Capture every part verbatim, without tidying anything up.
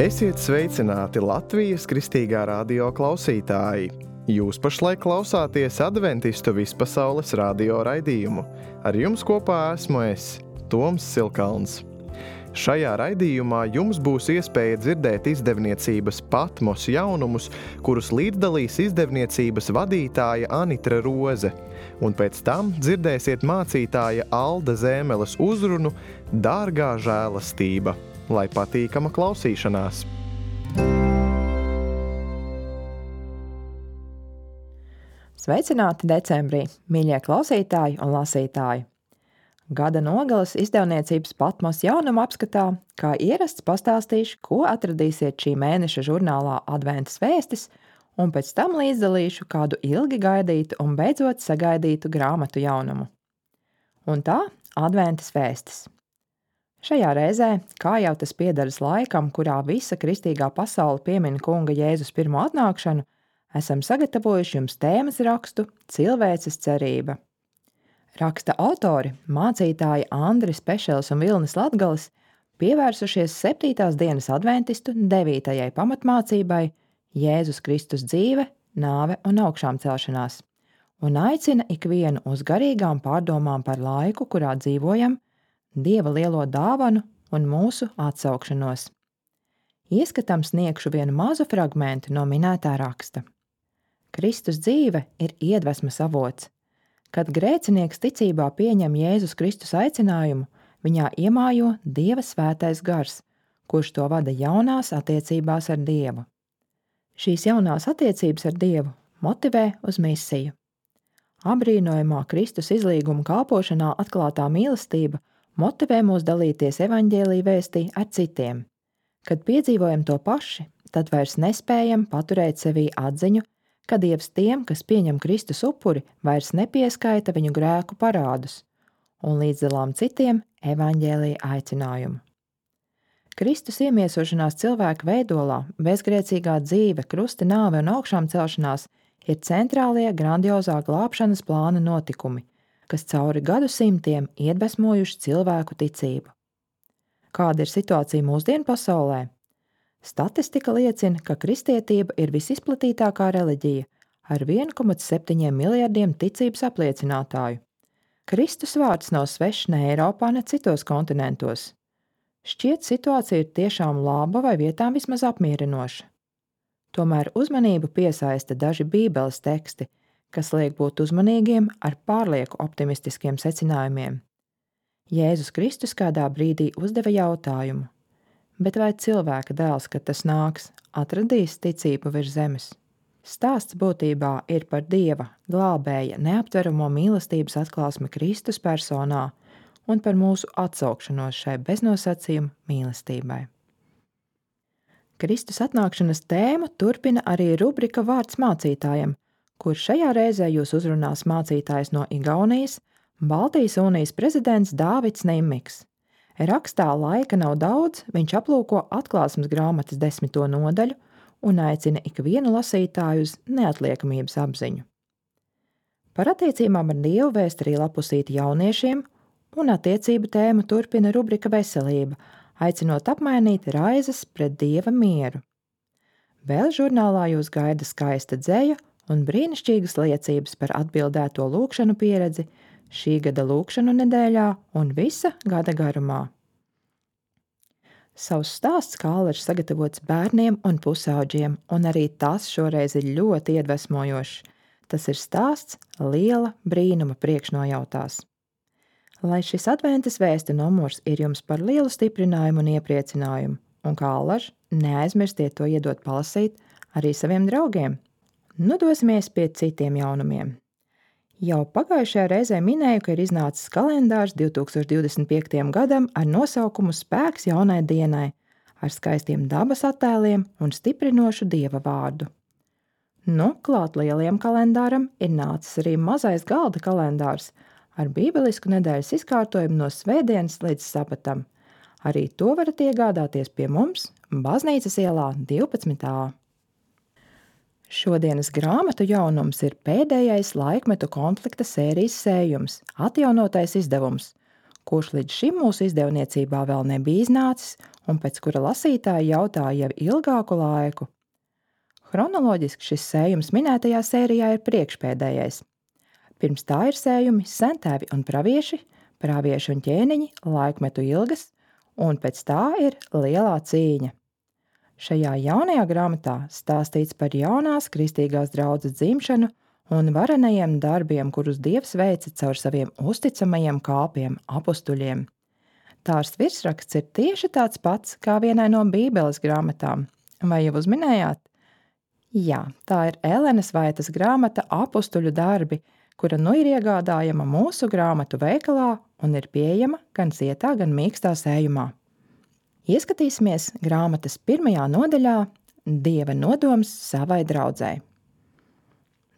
Esiet sveicināti Latvijas Kristīgā radio klausītāji! Jūs pašlaik klausāties Adventistu vispasaules radio raidījumu. Ar jums kopā esmu es, Toms Silkalns. Šajā raidījumā jums būs iespēja dzirdēt izdevniecības Patmos jaunumus, kurus līdzdalīs izdevniecības vadītāja Anitra Roze, un pēc tam dzirdēsiet mācītāja Alda Zēmeles uzrunu Dārgā žēlastība. Lai patīkama klausīšanās! Sveicināti decembrī, mīļie klausītāji un lasītāji! Gada nogales izdevniecības Patmos jaunuma apskatā, kā ierasts pastāstīšu, ko atradīsiet šī mēneša žurnālā Adventas vēstis, un pēc tam līdzdalīšu kādu ilgi gaidītu un beidzot sagaidītu grāmatu jaunumu. Un tā Adventas vēstis. Šajā reizē, kā jau tas piederas laikam, kurā visa kristīgā pasaule piemin kunga Jēzus pirmo atnākšanu, esam sagatavojuši jums tēmas rakstu Cilvēces cerība. Raksta autori, mācītāji Andris Pešels un Vilnis Latgalis, pievērsušies septītās dienas adventistu devītajai pamatmācībai Jēzus Kristus dzīve, nāve un augšām celšanās, un aicina ikvienu uz garīgām pārdomām par laiku, kurā dzīvojam, Dieva lielo dāvanu un mūsu atsaukšanos. Ieskatam sniegšu vienu mazu fragmentu no minētā raksta. Kristus dzīve ir iedvesmas avots. Kad grēcinieks ticībā pieņem Jēzus Kristus aicinājumu, viņā iemājo Dieva svētais gars, kurš to vada jaunās attiecībās ar Dievu. Šīs jaunās attiecības ar Dievu motivē uz misiju. Abrīnojamā Kristus izlīguma kalpošanā atklātā mīlestība motivē mūs dalīties evaņģēlija vēstī ar citiem. Kad piedzīvojam to paši, tad vairs nespējam paturēt sevī atziņu, ka Dievs tiem, kas pieņem Kristus upuri, vairs nepieskaita viņu grēku parādus, un līdzdalām citiem evaņģēlija aicinājumu. Kristus iemiesošanās cilvēka veidolā, bezgrēcīgā dzīve, krusta nāve un augšām celšanās ir centrālie grandiozā glābšanas plāna notikumi, kas cauri gadsimtiem iedvesmojuši cilvēku ticību. Kāda ir situācija mūsdienu pasaulē? Statistika liecina, ka kristietība ir visizplatītākā reliģija ar viens komats septiņi miljardiem ticības apliecinātāju. Kristus vārds nav svešs ne Eiropā, ne citos kontinentos. Šķiet, situācija ir tiešām laba vai vietām vismaz apmierinoša. Tomēr uzmanību piesaista daži bībeles teksti, kas liek būt uzmanīgiem ar pārlieku optimistiskiem secinājumiem. Jēzus Kristus kādā brīdī uzdeva jautājumu, bet vai cilvēka dēls, kad tas nāks, atradīs ticību virs zemes? Stāsts būtībā ir par Dieva, glābēja, neaptveramo mīlestības atklāsmi Kristus personā un par mūsu atsaukšanos šai beznosacījuma mīlestībai. Kristus atnākšanas tēmu turpina arī rubrika Vārds mācītājam, kur šajā reizē jūs uzrunās mācītājs no Igaunijas, Baltijas unijas prezidents Dāvids Nimmiks. Rakstā laika nav daudz, viņš aplūko atklāsmes grāmatas desmito nodaļu un aicina ikvienu lasītāju uz neatliekamības apziņu. Par attiecībām ar Dievu vēst arī lapusīti jauniešiem, un attiecību tēmu turpina rubrika Veselība, aicinot apmainīt raizes pret Dieva mieru. Vēl žurnālā jūs gaida skaista dzeja un brīnišķīgas liecības par atbildēto lūgšanu pieredzi šī gada lūgšanu nedēļā un visa gada garumā. Savs stāsts Kālers sagatavots bērniem un pusauģiem, un arī tas šoreiz ir ļoti iedvesmojošs. Tas ir stāsts liela brīnuma priekšnojautās. Lai šis adventas vēstu numurs ir jums par lielu stiprinājumu un iepriecinājumu, un Kālers, neaizmirstiet to iedot palasīt arī saviem draugiem. Nu dosimies pie citiem jaunumiem. Jau pagājušajā reizē minēju, ka ir iznācis kalendārs divtūkstoš divdesmit piektajam gadam ar nosaukumu Spēks jaunai dienai, ar skaistiem dabas attēliem un stiprinošu Dieva vārdu. Nu, klāt lielajam kalendāram ir nācis arī mazais galda kalendārs ar bībelisku nedēļas izkārtojumu no svētdienas līdz sabatam. Arī to varat iegādāties pie mums Baznīcas ielā divpadsmit A. Šodienas grāmatu jaunums ir pēdējais laikmetu konflikta sērijas sējums, atjaunotais izdevums, kurš līdz šim mūsu izdevniecībā vēl nebija iznācis un pēc kura lasītāji jautāja jau ilgāku laiku. Chronoloģiski šis sējums minētajā sērijā ir priekšpēdējais. Pirms tā ir sējumi Sentēvi un pravieši, pravieši un ķēniņi, laikmetu ilgas, un pēc tā ir Lielā cīņa. Šajā jaunajā grāmatā stāstīts par jaunās kristīgās draudzes dzimšanu un varenajiem darbiem, kurus Dievs veica caur saviem uzticamajiem kalpiem, apustuļiem. Tās virsraksts ir tieši tāds pats kā vienai no Bībeles grāmatām. Vai jau uzminējāt? Jā, tā ir Elenes Vaitas grāmata Apustuļu darbi, kura nu ir iegādājama mūsu grāmatu veikalā un ir pieejama gan zietā, gan mīkstā sējumā. Ieskatīsimies grāmatas pirmajā nodaļā Dieva nodoms savai draudzei.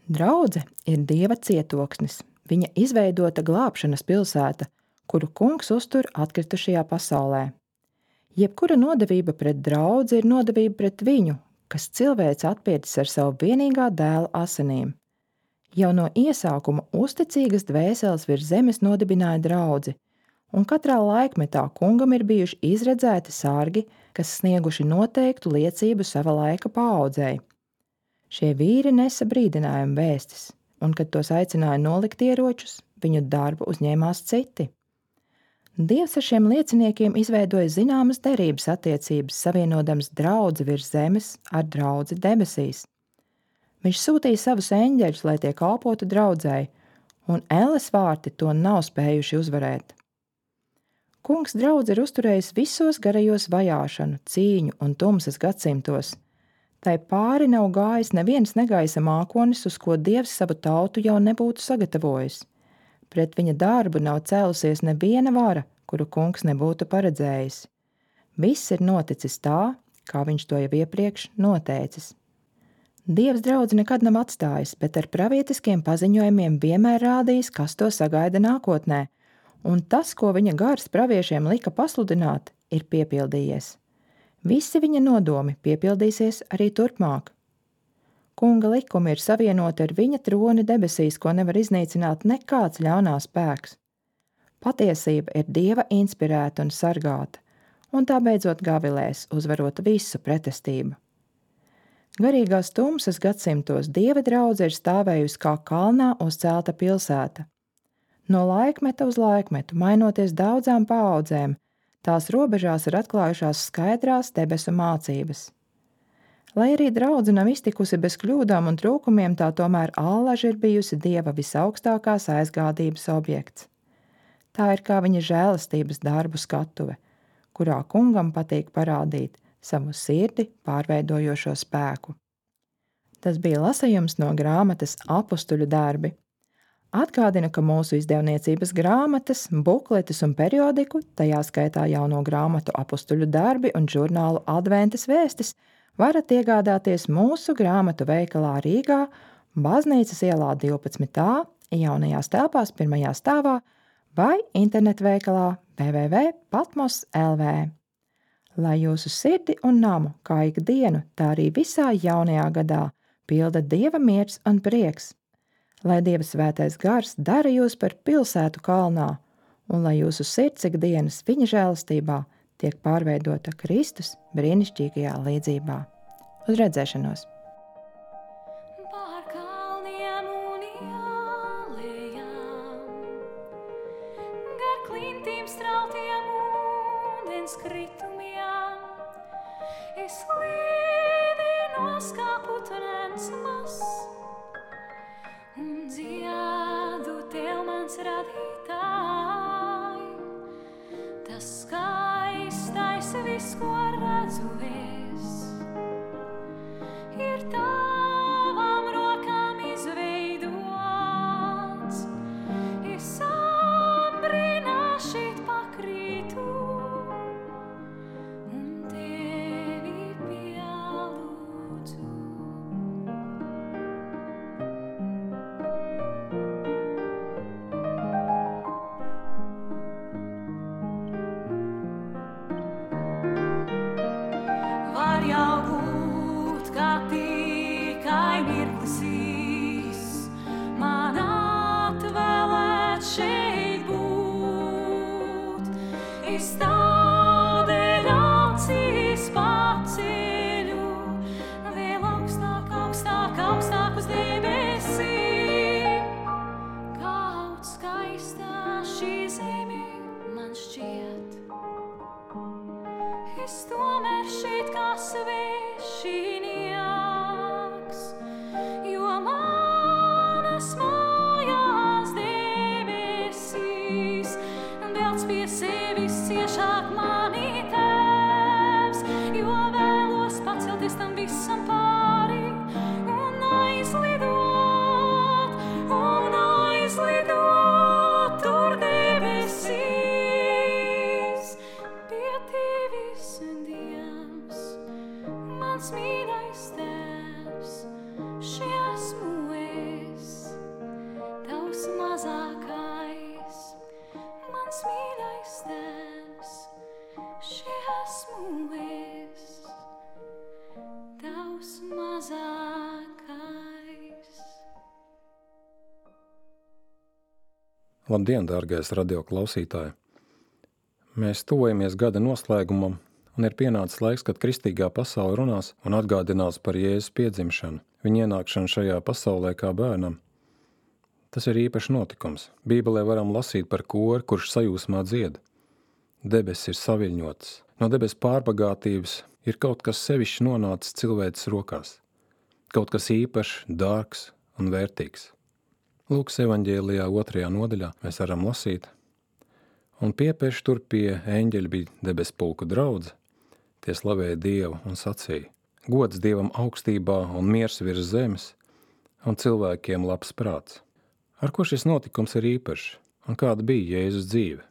Draudze ir Dieva cietoksnis, viņa izveidota glābšanas pilsēta, kuru kungs uztur atkritušajā pasaulē. Jebkura nodevība pret draudzi ir nodevība pret viņu, kas cilvēks atpircis ar savu vienīgā dēla asinīm. Jau no iesākuma uzticīgas dvēseles virs zemes nodibināja draudzi, un katrā laikmetā kungam ir bijuši izredzēti sargi, kas snieguši noteiktu liecību sava laika paaudzei. Šie vīri nesa brīdinājumu vēstis, un, kad tos aicināja nolikt ieročus, viņu darbu uzņēmās citi. Dievs ar šiem lieciniekiem izveidoja zināmas derības attiecības, savienodams draudzi virs zemes ar draudzi debesīs. Viņš sūtīja savus eņģeļus, lai tie kalpotu draudzei, un elles vārti to nav spējuši uzvarēt. Kungs draudzi ir uzturējis visos garajos vajāšanu, cīņu un tumsas gadsimtos. Tai pāri nav gājis neviens negaisa mākonis, uz ko Dievs savu tautu jau nebūtu sagatavojis. Pret viņa darbu nav cēlusies neviena vara, kuru kungs nebūtu paredzējis. Viss ir noticis tā, kā viņš to jau iepriekš noteicis. Dievs draudzi nekad nav atstājis, bet ar pravietiskiem paziņojumiem vienmēr rādījis, kas to sagaida nākotnē, un tas, ko viņa gars praviešiem lika pasludināt, ir piepildījies. Visi viņa nodomi piepildīsies arī turpmāk. Kunga likumi ir savienoti ar viņa troni debesīs, ko nevar iznīcināt nekāds ļaunās spēks. Patiesība ir Dieva inspirēta un sargāta, un tā beidzot gavilēs, uzvarot visu pretestību. Garīgās tumsas gadsimtos Dieva draudze ir stāvējusi kā kalnā uzcelta pilsēta. No laikmeta uz laikmetu, mainoties daudzām paaudzēm, tās robežās ir atklājušās skaidrās debesu mācības. Lai arī draudze nav iztikusi bez kļūdām un trūkumiem, tā tomēr allaži ir bijusi Dieva visaugstākās aizgādības objekts. Tā ir kā viņa žēlastības darbu skatuve, kurā kungam patīk parādīt savu sirdi pārveidojošo spēku. Tas bija lasījums no grāmatas Apustuļu darbi. Atgādinu, ka mūsu izdevniecības grāmatas, bukletes un periodiku, tajā skaitā jauno grāmatu Apustuļu darbi un žurnālu Adventas vēstis, varat iegādāties mūsu grāmatu veikalā Rīgā, Baznīcas ielā divpadsmit A, jaunajās telpās pirmajā stāvā vai internetveikalā w w w punkt patmos punkt l v. Lai jūsu sirdi un namu, kā ikdienu, tā arī visā jaunajā gadā, pilda Dieva miers un prieks. Lai Dieva svētais gars dara jūs par pilsētu kalnā, un lai jūsu sirds ikdienas viņa žēlastībā tiek pārveidota Kristus brīnišķīgajā līdzībā. Uz redzēšanos! Kritumiem, es līdinos kā putenens mazs un dziedu tev mans radītāj. Tas skaistais viss, ko redzu es, ir tavām rokām izveidots. Es ambrināšīt pakrītu man atvēlēt šeit būt. nāk uz debesīm. Kaut skaistā šī zeme man šķiet, es tomēr šeit kā svešinieks, jo manas mājās debesīs velc pie sevis ciešāk mani Tēvs, jo vēlos pacelties tam visam pāri un aizlidot, un aizlidot tur debesīs pie Tevis, Dievs, mans mīļais Tēvs, šī esmu es, Tavs mazākais, mans mīļais Tēvs, šī esmu es, Tavs mazākais. Labdien, dārgais radio klausītāji! Mēs tuvojamies gada noslēgumam, un ir pienācis laiks, kad kristīgā pasaule runās un atgādinās par Jēzus piedzimšanu, viņa ienākšanu šajā pasaulē kā bērnam. Tas ir īpašs notikums. Bībelē varam lasīt par kori, kurš sajūsmā dzied. Debesis ir saviļņotas. No debesu pārbagātības ir kaut kas sevišķi nonācis cilvēces rokās. Kaut kas īpašs, dārgs un vērtīgs. Lūkas evaņģēlijā otrajā nodaļā mēs varam lasīt. Un piepieši tur pie eņģeļa bija debesu pulku draudze, tie slavēja Dievu un sacīja: gods Dievam augstībā un miers virs zemes, un cilvēkiem labs prāts. Ar ko šis notikums ir īpašs, un kāda bija Jēzus dzīve?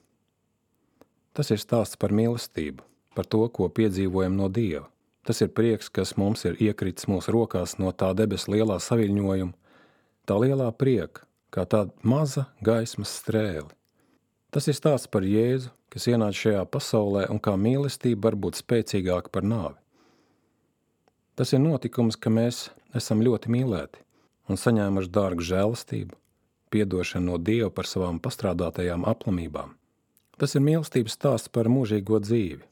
Tas ir stāsts par mīlestību, par to, ko piedzīvojam no Dieva. Tas ir prieks, kas mums ir iekritis mūsu rokās no tā debesu lielā saviļņojuma, tā lielā prieka, kā tāda maza gaismas strēle. Tas ir stāsts par Jēzu, kas ienāca šajā pasaulē un kā mīlestība var būt spēcīgāka par nāvi. Tas ir notikums, ka mēs esam ļoti mīlēti un saņēmuši dārgu žēlastību, piedošanu no Dieva par savām pastrādātajām aplamībām. Tas ir mīlestības stāsts par mūžīgo dzīvi.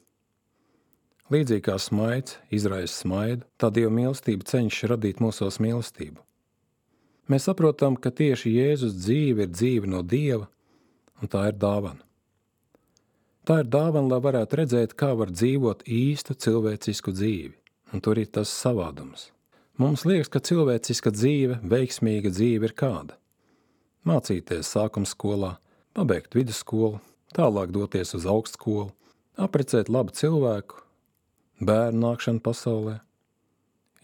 Līdzīgi kā smaids izraisa smaidu, tā Dieva mīlestība cenšas radīt mūsos mīlestību. Mēs saprotam, ka tieši Jēzus dzīve ir dzīve no Dieva, un tā ir dāvana. Tā ir dāvana, lai varētu redzēt, kā var dzīvot īstu cilvēcisku dzīvi, un tur ir tas savādums. Mums liekas, ka cilvēciska dzīve, veiksmīga dzīve ir kāda. Mācīties sākuma skolā, pabeigt vidusskolu, tālāk doties uz augstskolu, aprecēt labu cilvēku, bērnu nākšanu pasaulē,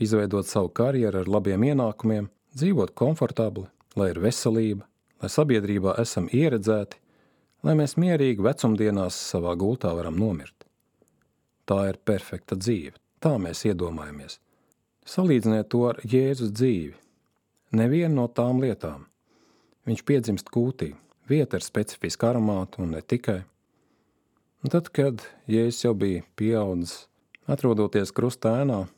izveidot savu karjeru ar labiem ienākumiem, dzīvot komfortabli, lai ir veselība, lai sabiedrībā esam ieredzēti, lai mēs mierīgi vecumdienās savā gultā varam nomirt. Tā ir perfekta dzīve, tā mēs iedomājamies. Salīdziniet to ar Jēzus dzīvi. Nevienu no tām lietām. Viņš piedzimst kūtī, vieta ar specifisku aromātu un ne tikai. Un tad, kad Jēzus jau bija pieaudzis, atrodoties krusta ēnā,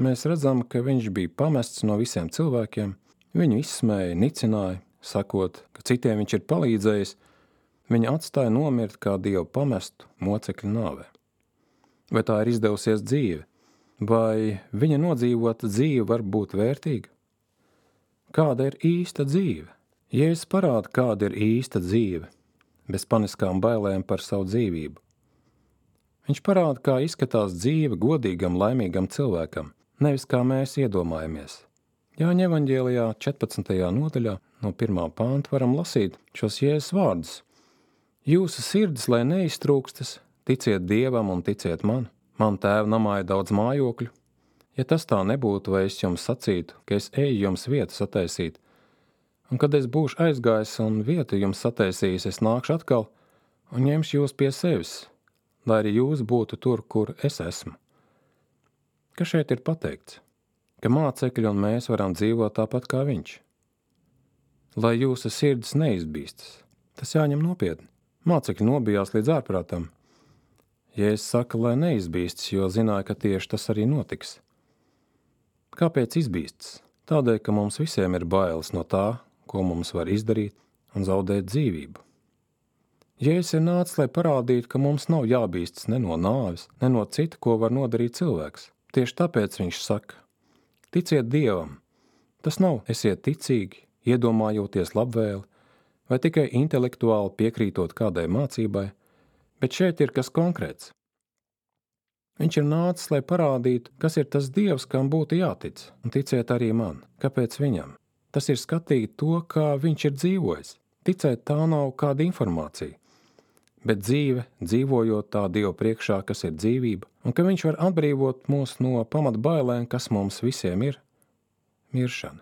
mēs redzam, ka viņš bija pamests no visiem cilvēkiem, viņu izsmēja, nicināja, sakot, ka citiem viņš ir palīdzējis, viņa atstāja nomirt kā Dievu pamestu mocekļu nāvē. Vai tā ir izdevusies dzīve? Vai viņa nodzīvota dzīve var būt vērtīga? Kāda ir īsta dzīve? Jēzus parāda, kāda ir īsta dzīve, bez paniskām bailēm par savu dzīvību. Viņš parāda, kā izskatās dzīve godīgam, laimīgam cilvēkam, nevis kā mēs iedomājamies. Jāņa evaņģēlijā četrpadsmitajā nodaļā no pirmā panta varam lasīt šos Jēzus vārdus. Jūsu sirds, lai neiztrūkstas, ticiet Dievam un ticiet man. Man tēva namā ir daudz mājokļu. Ja tas tā nebūtu, vai es jums sacītu, ka es eju jums vietu sataisīt, un kad es būšu aizgājis un vietu jums sataisījis, es nākšu atkal un ņemšu jūs pie sevis, lai arī jūs būtu tur, kur es esmu. Kas šeit ir pateikts? Ka mācekļi un mēs varam dzīvot tāpat kā viņš. Lai jūsu sirds neizbīstas, tas jāņem nopietni. Mācekļi nobijās līdz ārprātam. Jēzus saka, lai neizbīstas, jo zināja, ka tieši tas arī notiks. Kāpēc izbīstas? Tādēļ, ka mums visiem ir bailes no tā, ko mums var izdarīt un zaudēt dzīvību. Jēzus ir nācis, lai parādītu, ka mums nav jābīstas ne no nāves, ne no cita, ko var nodarīt cilvēks. Tieši tāpēc viņš saka, ticiet Dievam, Tas nav esiet ticīgi, iedomājoties labvēli, vai tikai intelektuāli piekrītot kādai mācībai, bet šeit ir kas konkrēts. Viņš ir nācis, lai parādītu, kas ir tas Dievs, kam būtu jātic, un ticiet arī man. Kāpēc viņam? Tas ir skatīt to, kā viņš ir dzīvojis. Ticēt tā nav kāda informācija, bet dzīve, dzīvojot tā Dieva priekšā, kas ir dzīvība, un ka viņš var atbrīvot mūs no pamatbailēm, kas mums visiem ir – miršana.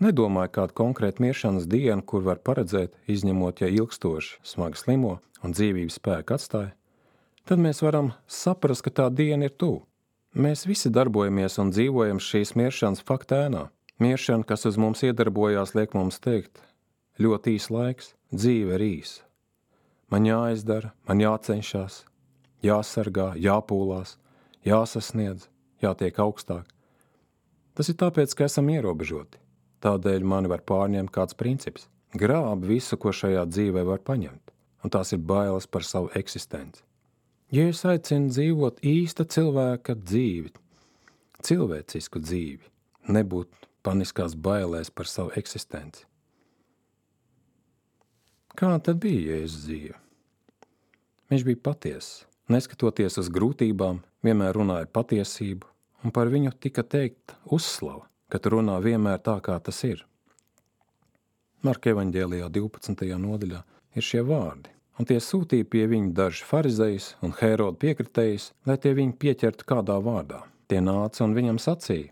Nedomāju kādu konkrētu miršanas dienu, kur var paredzēt, izņemot, ja ilgstoši smagi slimo un dzīvības spēku atstāja, tad mēs varam saprast, ka tā diena ir tuvu. Mēs visi darbojamies un dzīvojam šīs miršanas fakta ēnā. Miršana, kas uz mums iedarbojās, liek mums teikt, ļoti īs laiks, dzīve ir īsa. Man jāizdara, man jācenšas, jāsargā, jāpūlās, jāsasniedz, jātiek augstāk. Tas ir tāpēc, ka esam ierobežoti. Tādēļ mani var pārņemt kāds princips. Grāb visu, ko šajā dzīvē var paņemt, un tās ir bailes par savu eksistenci. Jēzus aicina dzīvot īsta cilvēka dzīvi, cilvēcisku dzīvi, nebūt paniskās bailēs par savu eksistenci. Kā tad bija Jēzus dzīve? Viņš bija patiess, neskatoties uz grūtībām, vienmēr runāja patiesību, un par viņu tika teikt uzslava, kad runā vienmēr tā, kā tas ir. Marka evaņģēlijā divpadsmitajā nodaļā ir šie vārdi, un tie sūtīja pie viņa daži farizejus un Hēroda piekritējus, lai tie viņu pieķertu kādā vārdā. Tie nāca un viņam sacīja: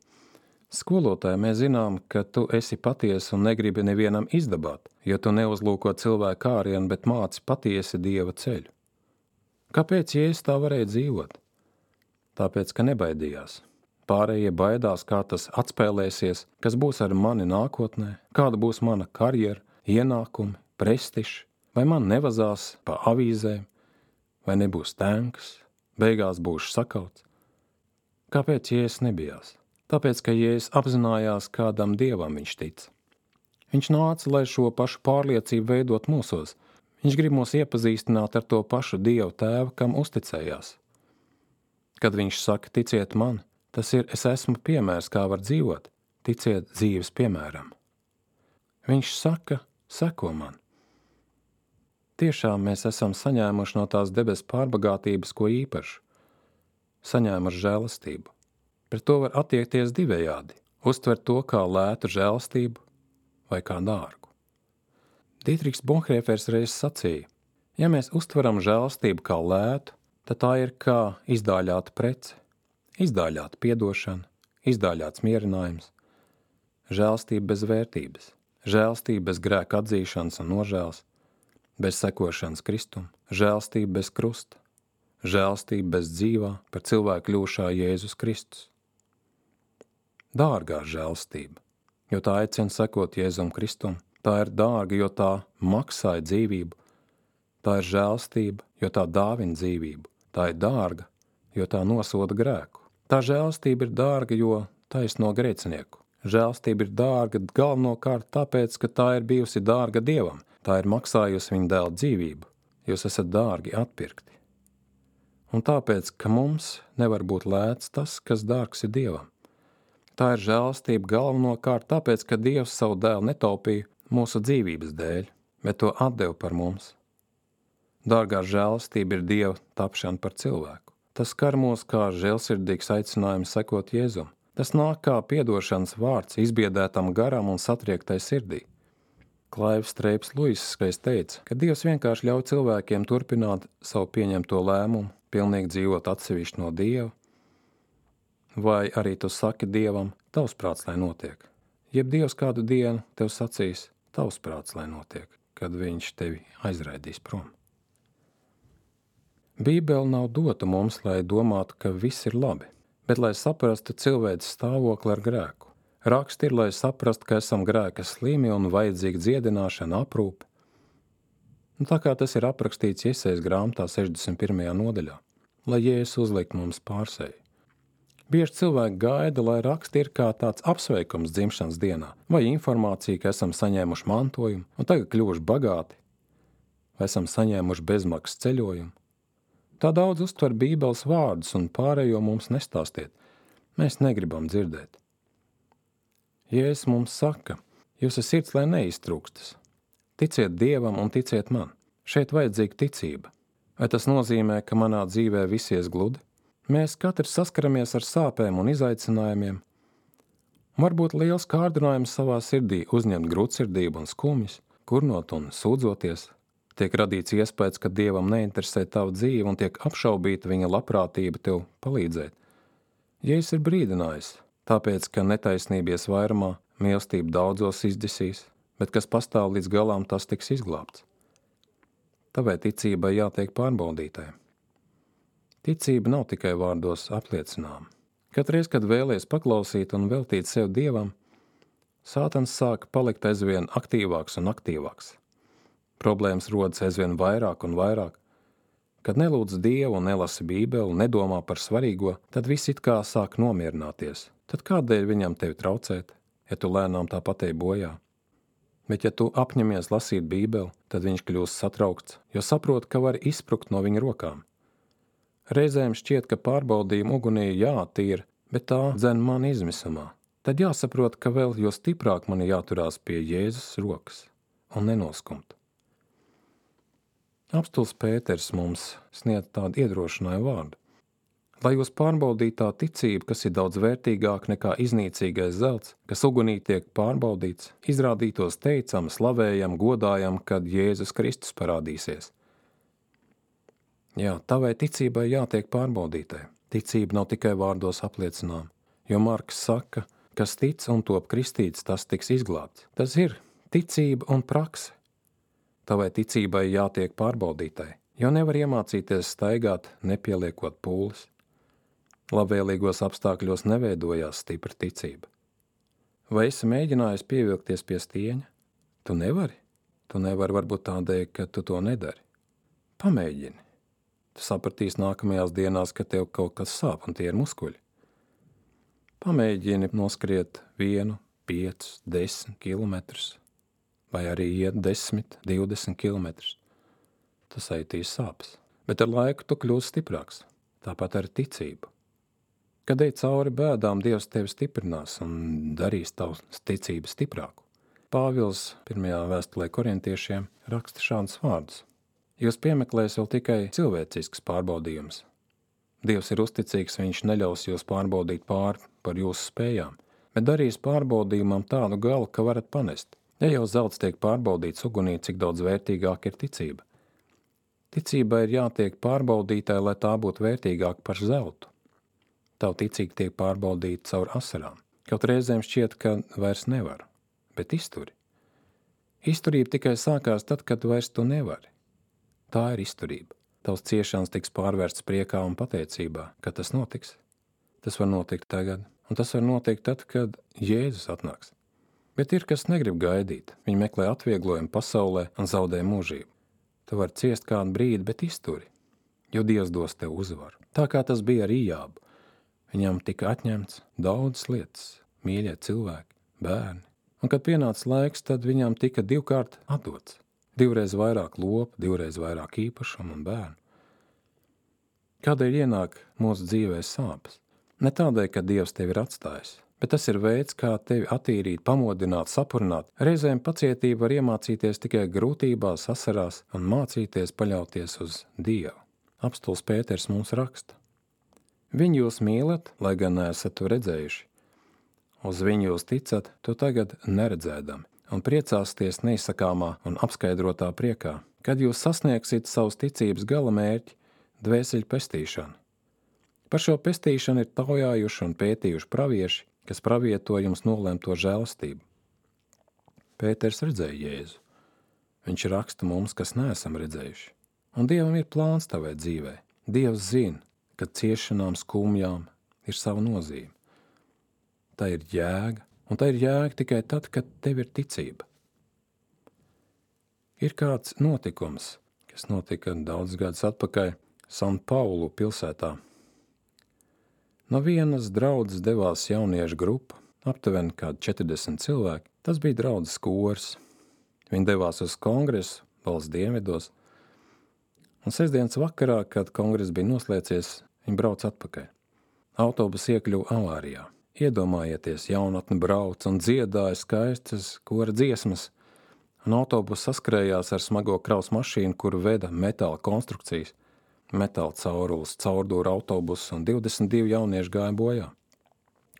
skolotāji, mēs zinām, ka tu esi patiesa un negribi nevienam izdabāt, jo tu neuzlūko cilvēku ārienu, bet māci patiesi Dieva ceļu. Kāpēc Jēzus tā varēja dzīvot? Tāpēc, ka nebaidījās. Pārējie baidās, kā tas atspēlēsies, kas būs ar mani nākotnē, kāda būs mana karjera, ienākumi, prestižs, vai man nevazās pa avīzēm, vai nebūs tēnkas, beigās būšu sakauts. Kāpēc Jēzus nebijās? Tāpēc, ka Jēzus apzinājās, kādam Dievam viņš tic. Viņš nāca, lai šo pašu pārliecību veidot mūsos. Viņš grib mūs iepazīstināt ar to pašu Dievu Tēvu, kam uzticējās. Kad viņš saka, ticiet man, tas ir, es esmu piemērs, kā var dzīvot, ticiet dzīves piemēram. Viņš saka, seko man. Tiešām mēs esam saņēmuši no tās debesu pārbagātības ko īpašu, saņēmuši žēlastību. Pret to var attiekties divējādi, uztvert to kā lētu žēlastību vai kā dārgu. Dietrichs Bonhoeffers reiz sacīja, ja mēs uztveram žēlastību kā lētu, tad tā ir kā izdāļāta prece, izdāļāta piedošana, izdāļāts mierinājums, žēlastība bez vērtības, žēlastība bez grēka atzīšanas un nožēlas, bez sekošanas Kristum, žēlastība bez krusta, žēlastība bez dzīvā par cilvēku kļūšā Jēzus Kristus. Dārgā žēlastība, jo tā aicina sekot Jēzum Kristum, tā ir dārga, jo tā maksāja dzīvību, tā ir žēlastība, jo tā dāvina dzīvību, tā ir dārga, jo tā nosoda grēku. Tā žēlastība ir dārga, jo taisno grēcinieku. Žēlastība ir dārga galvenokārt tāpēc, ka tā ir bijusi dārga Dievam, tā ir maksājusi viņa dēla dzīvību, jūs esat dārgi atpirkti. Un tāpēc, ka mums nevar būt lēts tas, kas dārgs ir Dievam. Tā ir žēlastība galvenokārt tāpēc, ka Dievs savu dēlu netaupīja mūsu dzīvības dēļ, bet to atdeva par mums. Dārgā žēlastība ir Dieva tapšana par cilvēku. Tas skar mūs kā žēlsirdīgs aicinājums sekot Jēzum. Tas nāk kā piedošanas vārds izbiedētam garam un satriektai sirdī. Klaivs Streips Luiss reiz teica, ka Dievs vienkārši ļauj cilvēkiem turpināt savu pieņemto lēmumu, pilnīgi dzīvot atsevišķi no Dieva, vai arī tu saki Dievam, tavs prāts, lai notiek. Jeb Dievs kādu dienu tev sacīs, tavs prāts, lai notiek, kad viņš tevi aizraidīs prom. Bībele nav dota mums, lai domātu, ka viss ir labi, bet lai saprastu cilvēces stāvokli ar grēku. Raksti ir, lai saprastu, ka esam grēka slimi un vajadzīga dziedināšana, aprūpe. Un tā kā tas ir aprakstīts Jesajas grāmatā sešdesmit pirmajā nodaļā, lai Jēzus uzlikt mums pārseju. Bieži cilvēki gaida, lai raksti ir kā tāds apsveikums dzimšanas dienā, vai informācija, ka esam saņēmuši mantojumu un tagad kļuvuši bagāti, vai esam saņēmuši bezmaksas ceļojumu. Tā daudz uztver Bībeles vārdus un pārējo mums nestāstiet. Mēs negribam dzirdēt. Jēzus mums saka, jūsu sirds lai neiztrūkstas. Ticiet Dievam un ticiet man. Šeit vajadzīga ticība. Vai tas nozīmē, ka manā dzīvē viss ies gludi? Mēs katrs saskaramies ar sāpēm un izaicinājumiem. Varbūt liels kārdinājums savā sirdī uzņemt grūtsirdību un skumjas, kurnot un sūdzoties. Tiek radīts iespējas, ka Dievam neinteresē tavu dzīvi un tiek apšaubīta viņa labprātība tev palīdzēt. Jēzus ir brīdinājis, tāpēc, ka netaisnība ies vairumā, mīlestība daudzos izdzisīs, bet kas pastāv līdz galām, tas tiks izglābts. Tāpēc ticībai jātiek pārbaudītai. Ticība nav tikai vārdos apliecinām. Katreiz, kad vēlies paklausīt un veltīt sev Dievam, Sātans sāk palikt aizvien aktīvāks un aktīvāks. Problēmas rodas aizvien vairāk un vairāk. Kad nelūdz Dievu un nelasi Bībeli un nedomā par svarīgo, tad viss it kā sāk nomierināties. Tad kādēļ viņam tevi traucēt, ja tu lēnām tāpat ej bojā? Bet ja tu apņemies lasīt Bībeli, tad viņš kļūst satraukts, jo saprot, ka var izsprukt no viņa rokām. Reizēm šķiet, ka pārbaudījuma ugunī jātīra, bet tā dzen mani izmisumā. Tad jāsaprot, ka vēl jo stiprāk man jāturās pie Jēzus rokas un nenoskumt. Apstulis Pēters mums sniedz tādu iedrošinājumu vārdu. Lai jūs pārbaudītu tā ticība, kas ir daudz vērtīgāka nekā iznīcīgais zelts, kas ugunī tiek pārbaudīts, izrādītos teicam, slavējam, godājam, kad Jēzus Kristus parādīsies. Jā, tavai ticībai jātiek pārbaudītai. Ticība nav tikai vārdos apliecinām, jo Marks saka, kas tic un top kristīts, tas tiks izglābts. Tas ir ticība un prakse. Tavai ticībai jātiek pārbaudītai, jo nevar iemācīties staigāt, nepieliekot pūles. Labvēlīgos apstākļos neveidojās stipra ticība. Vai esi mēģinājis pievilkties pie stieņa? Tu nevari. Tu nevari varbūt tādēļ, ka tu to nedari. Pamēģini. Tu sapratīsi nākamajās dienās, ka tev kaut kas sāp un tie ir muskuļi. Pamēģini noskriet vienu, piecus, desmit kilometrus, vai arī iet desmit, divdesmit kilometrus. Tas aitīs sāpes, bet ar laiku tu kļūsi stiprāks, tāpat ar ticību. Kad ej cauri bēdām, Dievs tevi stiprinās un darīs tavu ticību stiprāku. Pāvils pirmajā vēstulē korintiešiem raksta šādus vārdus. Jūs piemeklēs vēl tikai cilvēcisks pārbaudījums. Dievs ir uzticīgs, viņš neļaus jūs pārbaudīt pāri par jūsu spējām, bet darīs pārbaudījumam tādu galu, ka varat panest. Ja jau zelts tiek pārbaudīts ugunī, cik daudz vērtīgāk ir ticība. Ticībai ir jātiek pārbaudītai, lai tā būtu vērtīgāka par zeltu. Tavu ticība tiek pārbaudīta caur asarām. Kaut reizēm šķiet, ka vairs nevar, bet izturi. Izturība tikai sākās tad, kad vairs tu nevari. Tā ir izturība. Tavs ciešanas tiks pārvērsts priekā un pateicībā, kad tas notiks. Tas var notikt tagad, un tas var notikt tad, kad Jēzus atnāks. Bet ir, kas negrib gaidīt. Viņi meklē atvieglojumu pasaulē un zaudē mūžību. Tu vari ciest kādu brīdi, bet izturi, jo Dievs dos tev uzvaru. Tā kā tas bija ar Ījābu. Viņam tika atņemts daudzas lietas, mīļie cilvēki, bērni. Un, kad pienāca laiks, tad viņam tika divkārt atdots. Divreiz vairāk lopu, divreiz vairāk īpašumu un bērnu. Kādēļ ienāk mūsu dzīvē sāpes? Ne tādēļ, ka Dievs tevi ir atstājis, bet tas ir veids, kā tevi attīrīt, pamodināt, sapurināt. Reizēm pacietība var iemācīties tikai grūtībās, asarās un mācīties paļauties uz Dievu. Apstulis Pēters mums raksta. Viņu jūs mīlat, lai gan neesat to redzējuši. Uz viņu jūs ticat, to tagad neredzēdami, un priecāsties neizsakāmā un apskaidrotā priekā, kad jūs sasniegsiet savus ticības gala mērķi, dvēseļu pestīšanu. Par šo pestīšanu ir taujājuši un pētījuši pravieši, kas pravieto jums nolemto žēlastību. Pēters redzēja Jēzu. Viņš raksta mums, kas neesam redzējuši. Un Dievam ir plāns tavai dzīvē. Dievs zina, ka ciešanām, skumjām ir sava nozīme. Tā ir jēga, un tā ir jēga tikai tad, kad tev ir ticība. Ir kāds notikums, kas notika daudz gadus atpakaļ San Paulu pilsētā. No vienas draudzes devās jauniešu grupa, aptuveni kādi četrdesmit cilvēki. Tas bija draudzes kors. Viņi devās uz kongresu valsts dienvidos, un sestdienas vakarā, kad kongress bija noslēdzies, viņi brauc atpakaļ. Autobus iekļuva avārijā. Iedomājieties, jaunatne brauc un dziedāja skaistas kora dziesmas, un autobus saskrējās ar smago kraus mašīnu, kuru veda metāla konstrukcijas, metāla caurulis, caurdūra autobus, un divdesmit divi jaunieši gāja bojā.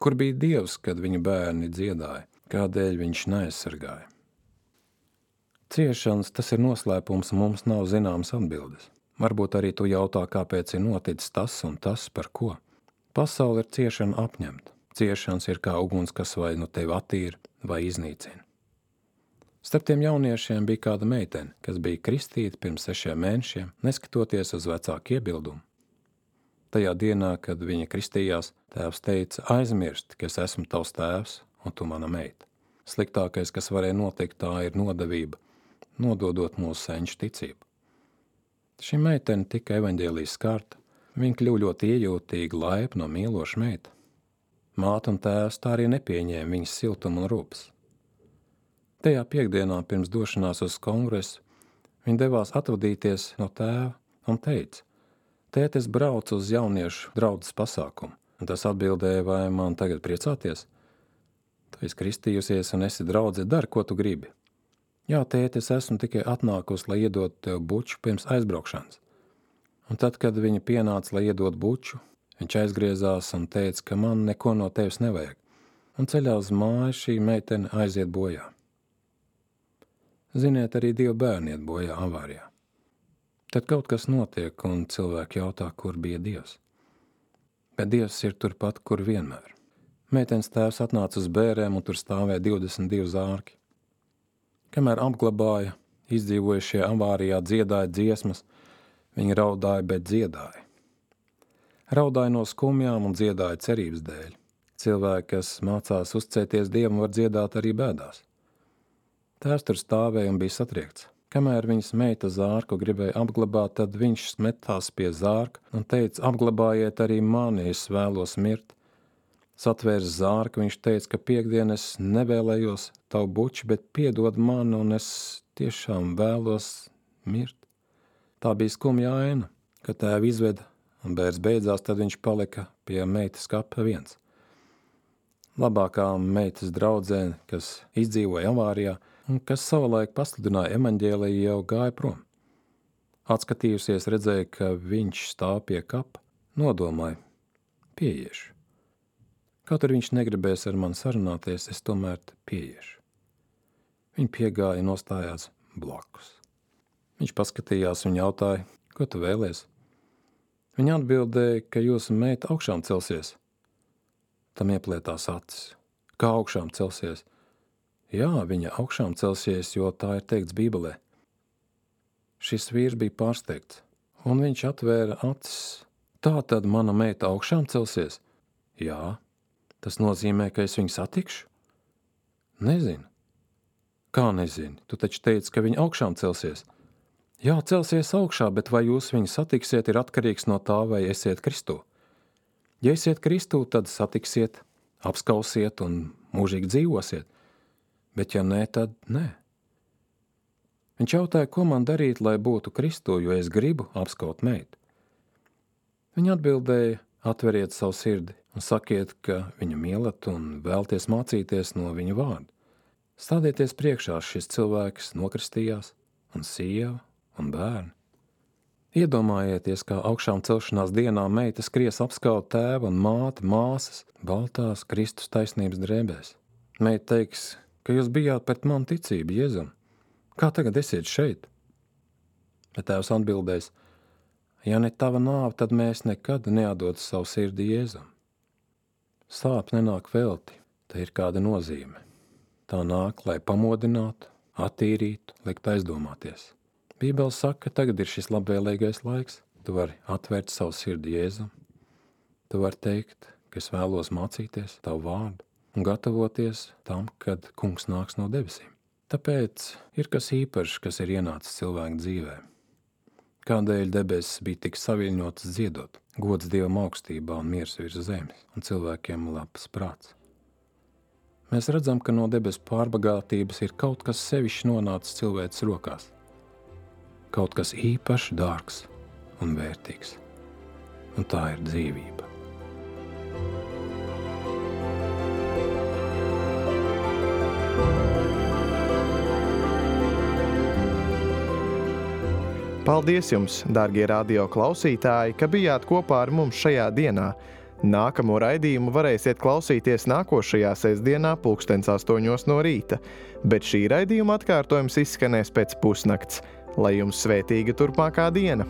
Kur bija Dievs, kad viņa bērni dziedāja? Kādēļ viņš neaizsargāja? Ciešanas, tas ir noslēpums, mums nav zināmas atbildes. Varbūt arī tu jautā, kāpēc ir noticis tas un tas, par ko. Pasaule ir ciešana apņemta. Ciešanas ir kā uguns, kas vai nu tevi attīra vai iznīcina. Starp tiem jauniešiem bija kāda meitene, kas bija kristīta pirms sešiem mēnešiem, neskatoties uz vecāku iebildumu. Tajā dienā, kad viņa kristījās, tēvs teica, aizmirst, ka es esmu tavs tēvs un tu mana meita. Sliktākais, kas varēja notikt, tā ir nodevība, nododot mūsu senču ticību. Šī meitene tika evaņģēlijas skarta, viņa kļuva ļoti iejūtīga, laipna un mīloša meita. Māte un tēvs tā arī nepieņēma viņas siltumu un rūpes. Tajā piekdienā pirms došanās uz kongresu viņa devās atvadīties no tēva un teica, tēt, es braucu uz jauniešu draudzes pasākumu, un tas atbildēja, vai man tagad priecāties? Tu esi kristījusies un esi draudze, dari, ko tu gribi. Jā, tēt, es esmu tikai atnākusi, lai iedot tev buču pirms aizbraukšanas. Un tad, kad viņa pienāca, lai iedot buču, viņš aizgriezās un teica, ka man neko no tevis nevajag. Un ceļā uz māju šī meitene aiziet bojā. Ziniet, arī divi bērni iet bojā avārijā. Tad kaut kas notiek, un cilvēki jautā, kur bija Dievs. Bet Dievs ir turpat, kur vienmēr. Meitenes tēvs atnāca uz bērēm, un tur stāvēja divdesmit divi zārki. Kamēr apglabāja, izdzīvojušie avārijā dziedāja dziesmas, viņi raudāja, bet dziedāja. Raudāja no skumjām un dziedāja cerības dēļ. Cilvēki, kas mācās uzticēties Dievam, var dziedāt arī bēdās. Tēvs tur stāvēja un bija satriekts. Kamēr viņas meita zārku gribēja apglabāt, tad viņš metās pie zārka un teica, apglabājiet arī mani, es vēlos mirt. Satvērs zārku, viņš teica, ka piekdien es nevēlējos tavu buču, bet piedod man, un es tiešām vēlos mirt. Tā bija skumja aina, kad tēvi izveda, un bērns beidzās, tad viņš palika pie meitas kapa viens. Labākā meitas draudzene, kas izdzīvoja avārijā, un kas savulaik pasludināja evaņģēliju, jau gāja prom. Atskatījusies, redzēja, ka viņš stāv pie kapa, nodomāja, pieiešu. Kaut arī viņš negribēs ar mani sarunāties, es tomēr pieiešu. Viņa piegāja un nostājās blakus. Viņš paskatījās un jautāja, ko tu vēlies? Viņa atbildēja, ka jūsu meita augšām celsies. Tam ieplētās acis. Kā augšām celsies? Jā, viņa augšām celsies, jo tā ir teikts Bībelē. Šis vīrs bija pārsteigts, un viņš atvēra acis. Tā tad mana meita augšām celsies? Jā, tas nozīmē, ka es viņu satikšu? Nezinu. Kā nezini? Tu taču teici, ka viņa augšām celsies. Jā, celsies augšā, bet vai jūs viņu satiksiet, ir atkarīgs no tā, vai esiet Kristū. Ja esiet Kristū, tad satiksiet, apskausiet un mūžīgi dzīvosiet. Bet ja nē, tad nē. Viņš jautāja, ko man darīt, lai būtu Kristū, jo es gribu apskaut meitu. Viņa atbildēja, atveriet savu sirdi un sakiet, ka viņu mīlat un vēlties mācīties no viņa vārda. Stādieties priekšā, šis cilvēks nokristījās, un sieva, un bērni. Iedomājieties, kā augšām celšanās dienā meita skries apskaut tēva un māti, māsas, baltās Kristus taisnības drēbēs. Meita teiks, ka jūs bijāt pret manu ticību, Jēzum. Kā tagad esiet šeit? Bet tēvs atbildēs, ja ne tava nāve, tad mēs nekad neatdotu savu sirdi Jēzum. Sāp nenāk velti, te ir kāda nozīme. Tā nāk, lai pamodinātu, attīrītu, likt aizdomāties. Bībele saka, ka tagad ir šis labvēlīgais laiks. Tu vari atvērt savu sirdi Jēzum. Tu vari teikt, ka es vēlos mācīties tavu vārdu un gatavoties tam, kad kungs nāks no debesīm. Tāpēc ir kas īpašs, kas ir ienācis cilvēku dzīvē. Kādēļ debesis bija tik saviļņotas dziedot, gods Dievam augstībā un miers virs zemes, un cilvēkiem labs prāts. Mēs redzam, ka no debesu pārbagātības ir kaut kas sevišķi nonācis cilvēces rokās. Kaut kas īpaši dārgs un vērtīgs. Un tā ir dzīvība. Paldies jums, dārgie radio klausītāji, ka bijāt kopā ar mums šajā dienā. Nākamo raidījumu varēsiet klausīties nākošajā sestdienā pulkstens astoņos no rīta, bet šī raidījuma atkārtojums izskanēs pēc pusnakts. Lai jums svētīga turpmākā diena!